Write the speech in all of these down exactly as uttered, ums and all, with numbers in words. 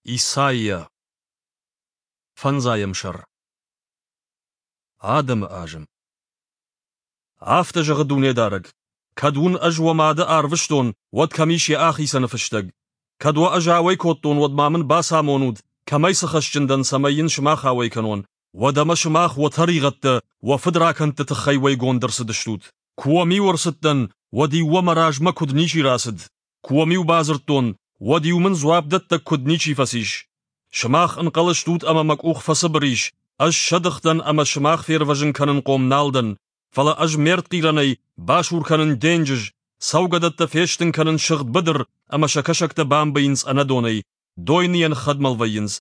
Исайя. Фӕндзайӕм сӕр. Адӕмы азым. Афтӕ зӕгъы Дунедарӕг: Кӕд уын ӕз уӕ мады арвыстон, уӕд кӕм ис йӕ ахицӕны фыстӕг? Кӕд уӕ ӕз ауӕй кодтон, уӕд ма мын бацамонут, кӕмӕй цы хӕсджын дӕн, цӕмӕй йын сымах ауӕй кӕнон. Уӕдӕмӕ сымах уӕ тӕригъӕдтӕ, уӕ фыдракӕндты тыххӕй уӕйгонд ӕрцыдыстут. Куы уӕм-иу ӕрцыдтӕн, уӕд-иу уӕ мӕ размӕ куыд ничи рацыд. Куы уӕм-иу бадзырдтон, уӕд-иу мын дзуапдӕттӕг куыд ничи фӕцис. Сымах ӕнхъӕл стут ӕмӕ мӕ къух фӕцыбыр ис, ӕз сӕдых дӕн ӕмӕ сымах фервӕзын кӕнынхъом нал дӕн, фӕлӕ ӕз ме ртхъирӕнӕй басур кӕнын денджыз, цӕугӕдӕттӕ фестын кӕнын сыгъд быдыр ӕмӕ сӕ кӕсӕгтӕ бамбийынц ӕнӕдонӕй, дойныйӕн хӕдмӕл вӕййынц.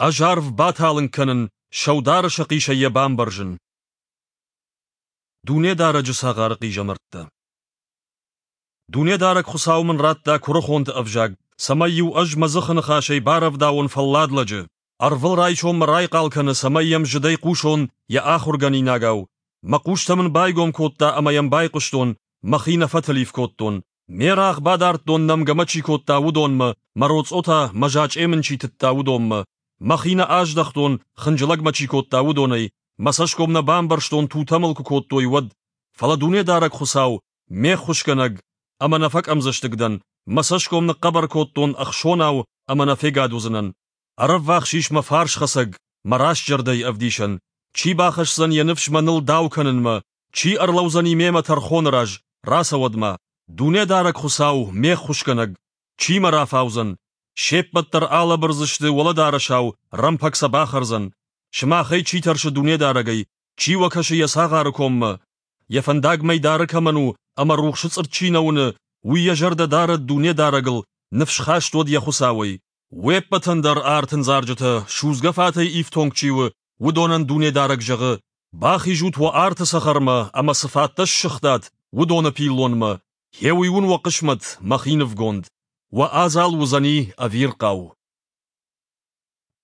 Ӕз арв баталынг кӕнын, сӕудары сӕхъисӕй йӕ бамбӕрзын. Дунедарӕджы цагъары хъизӕмӕрттӕ. Дунедарӕг Хуыцау мын радта куырыхонты ӕвзаг, цӕмӕй-иу ӕз мӕ дзыхы ныхасӕй барӕвдауон фӕллад лӕджы. Ӕрвылрайсом мӕ райхъал кӕны, цӕмӕй йӕм зыдӕй хъусон йӕ ахуыргӕнинагау. Мӕ хъустӕ мын байгом кодта ӕмӕ йӕм байхъуыстон, мӕхи нӕ фӕтылиф кодтон. Ме рагъ бадардтон, нӕмгӕ мӕ чи кодта, уыдонмӕ, мӕ роцъо та, мӕ зачъе мын чи тыдта, уыдонмӕ. Мӕхи нӕ аздӕхтон, хынджылӕг мӕ чи кодта, уыдонӕй, мӕ цӕсгом нӕ бамбӕрстон, тутӕ мыл куы кодтой, уӕд. Фӕлӕ Дунедарӕг Хуыцау, ме ххуысгӕнӕг, ӕмӕ нӕ фӕкъӕмдзӕстыг дӕн, мӕ цӕсгом ныхъхъӕбӕр кодтон ӕхсонау ӕмӕ нӕ фегад уыдзынӕн. Ӕрӕввахс ис мӕ фарсхӕцӕг, мӕ рӕстзӕрдӕйы ӕвдисӕн. Чи бахӕсдзӕн йӕ ныфс мӕныл дау кӕнынмӕ? Чи ӕрлӕудзӕни мемӕ тӕрхоны раз? Рацӕуӕд-ма! Дунедарӕг Хуыцау, ме ххуысгӕнӕг! Чи мӕ рафаудзӕн? Се ппӕт дӕр алӕбырдзысты уӕлӕдарӕсау, рӕмпӕг сӕ бахӕрдзӕн. Сымахӕй чи тӕрсы Дунедарӕгӕй, чи уӕ кӕсы йӕ цагъары коммӕ? Йӕ фӕндаг мӕйдары кӕмӕн у ӕмӕ рухсы цъыртт чи нӕ уыны, уый йӕ зӕрдӕ дарӕд Дунедарӕгыл, ныфсхаст уӕд йӕ Хуыцауӕй. Уе ппӕтӕн дӕр артындзарджытӕ, судзгӕ фатӕй ифтонг чи у, уыдонӕн Дунедарӕг зӕгъы: Бахизут уӕ арты цӕхӕрмӕ ӕмӕ цы фаттӕ ссыгътат, уыдоны пиллонмӕ. Гъе уый уын уӕ хъысмӕт, мӕхи нывгонд. Уӕ адзал уыдзӕни ӕвирхъау.